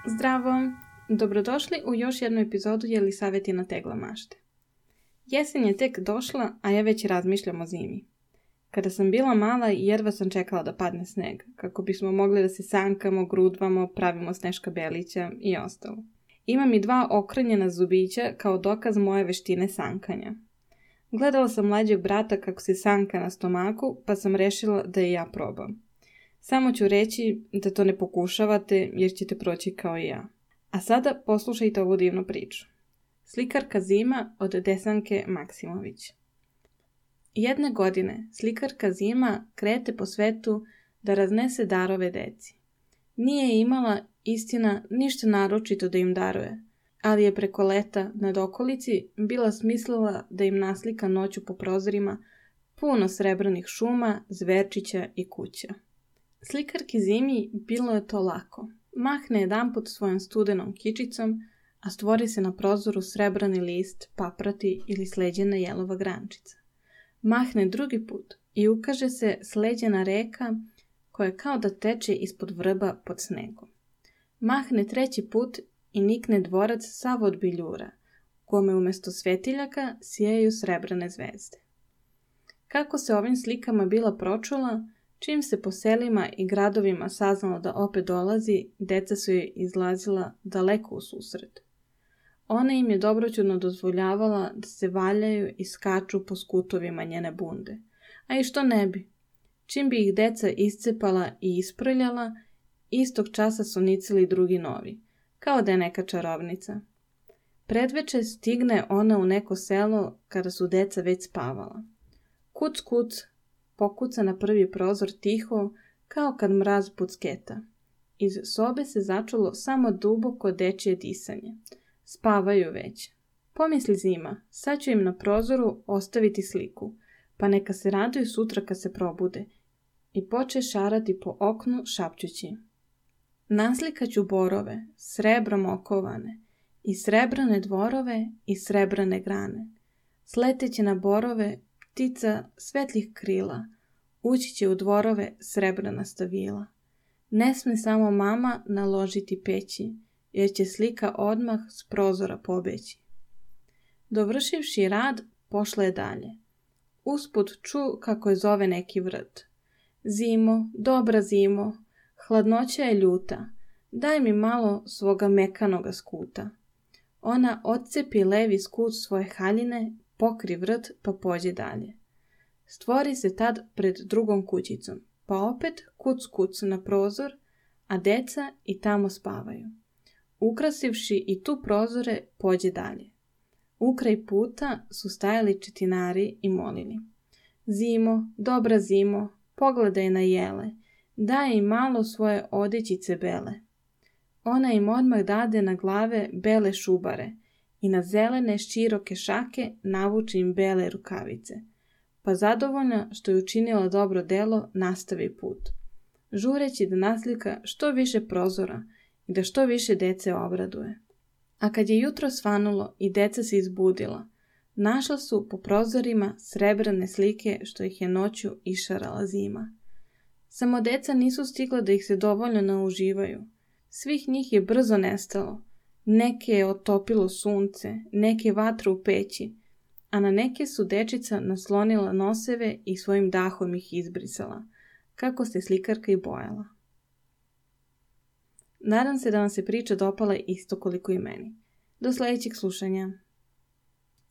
Zdravo! Dobrodošli u još jednu epizodu Jelisavetina tegla mašte. Jesen je tek došla, a ja već razmišljam o zimi. Kada sam bila mala, jedva sam čekala da padne sneg, kako bismo mogli da se sankamo, grudvamo, pravimo Sneška Belića i ostalo. Imam i 2 okrnjena zubića kao dokaz moje veštine sankanja. Gledala sam mlađeg brata kako se sanka na stomaku, pa sam rešila da i ja probam. Samo ću reći da to ne pokušavate jer ćete proći kao i ja. A sada poslušajte ovu divnu priču. Slikarka Zima od Desanke Maksimović. Jedne godine slikarka Zima krete po svetu da raznese darove deci. Nije imala, istina, ništa naročito da im daruje, ali je preko leta nad okolici bila smislila da im naslika noću po prozorima puno srebrnih šuma, zverčića i kuća. Slikarki Zimi bilo je to lako. Mahne jedanput svojom studenom kičicom, a stvori se na prozoru srebrani list, paprati ili sleđena jelova grančica. Mahne drugi put i ukaže se sleđena reka koja kao da teče ispod vrba pod snegom. Mahne treći put i nikne dvorac sav od biljura, u kome umjesto svetiljaka sijaju srebrane zvezde. Kako se ovim slikama bila pročula, čim se po selima i gradovima saznalo da opet dolazi, deca su joj izlazila daleko u susret. Ona im je dobroćudno dozvoljavala da se valjaju i skaču po skutovima njene bunde. A i što ne bi? Čim bi ih deca iscepala i isprljala, istog časa su nicili drugi novi, kao da je neka čarovnica. Predveče stigne ona u neko selo kada su deca već spavala. Kuc, kuc, pokuca na prvi prozor tiho, kao kad mraz pucketa. Iz sobe se začulo samo duboko dečje disanje. Spavaju već. Pomisli Zima, sad ću im na prozoru ostaviti sliku, pa neka se raduju sutra kad se probude. I poče šarati po oknu šapćući. Naslikaću borove, srebrom okovane, i srebrane dvorove i srebrane grane. Sleteće na borove, ptica svetlih krila, ući će u dvorove srebrana stavila. Ne sme samo mama naložiti peći, jer će slika odmah s prozora pobeći. Dovršivši rad, pošla je dalje. Usput ču kako je zove neki vrt. Zimo, dobra zimo, hladnoća je ljuta, daj mi malo svoga mekanoga skuta. Ona odcepi levi skut svoje haljine, pokri vrt pa pođe dalje. Stvori se tad pred drugom kućicom, pa opet kuc kuc na prozor, a deca i tamo spavaju. Ukrasivši i tu prozore, pođe dalje. Ukraj puta su stajali četinari i molili. Zimo, dobra zimo, pogledaj na jele, daj im malo svoje odećice bele. Ona im odmah dade na glave bele šubare i na zelene široke šake navuče im bele rukavice. Pa zadovoljna što je učinila dobro delo, nastavi put, žureći da naslika što više prozora i da što više dece obraduje. A kad je jutro svanulo i deca se izbudila, našla su po prozorima srebrane slike što ih je noću išarala Zima. Samo deca nisu stigla da ih se dovoljno nauživaju. Svih njih je brzo nestalo. Neke je otopilo sunce, neke vatru u peći, a na neke su dečica naslonila noseve i svojim dahom ih izbrisala, kako se slikarka i bojala. Nadam se da vam se priča dopala isto koliko i meni. Do sljedećeg slušanja.